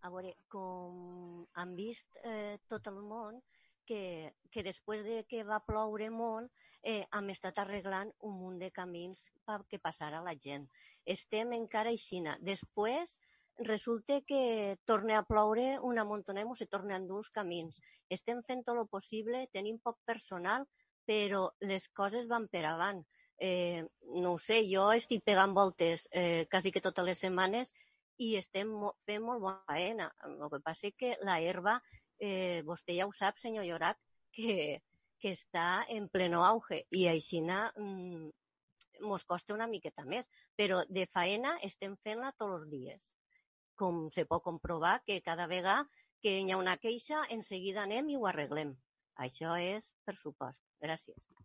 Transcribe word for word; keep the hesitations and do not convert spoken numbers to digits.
A veure, com han vist eh, tot el món, que, que després de que va ploure molt, eh, hem estat arreglant un munt de camins perquè passara la gent. Estem encara aixina. Després resulta que torna a ploure una montoneta i se tornen a endur els camins. Estem fent tot el possible, tenim poc personal, però les coses van per avant. Eh, no ho sé, jo estic pegant voltes eh, quasi que totes les setmanes i estem fent molt bona feina. El que passa és que la herba, eh, vostè ja ho sap, senyor Llorat, que, que està en pleno auge i així mm, mos costa una miqueta més, però de faena estem fent-la tots els dies. Com se pot comprovar que cada vegada que hi ha una queixa, en seguida anem i ho arreglem. Això és per supost. Gràcies.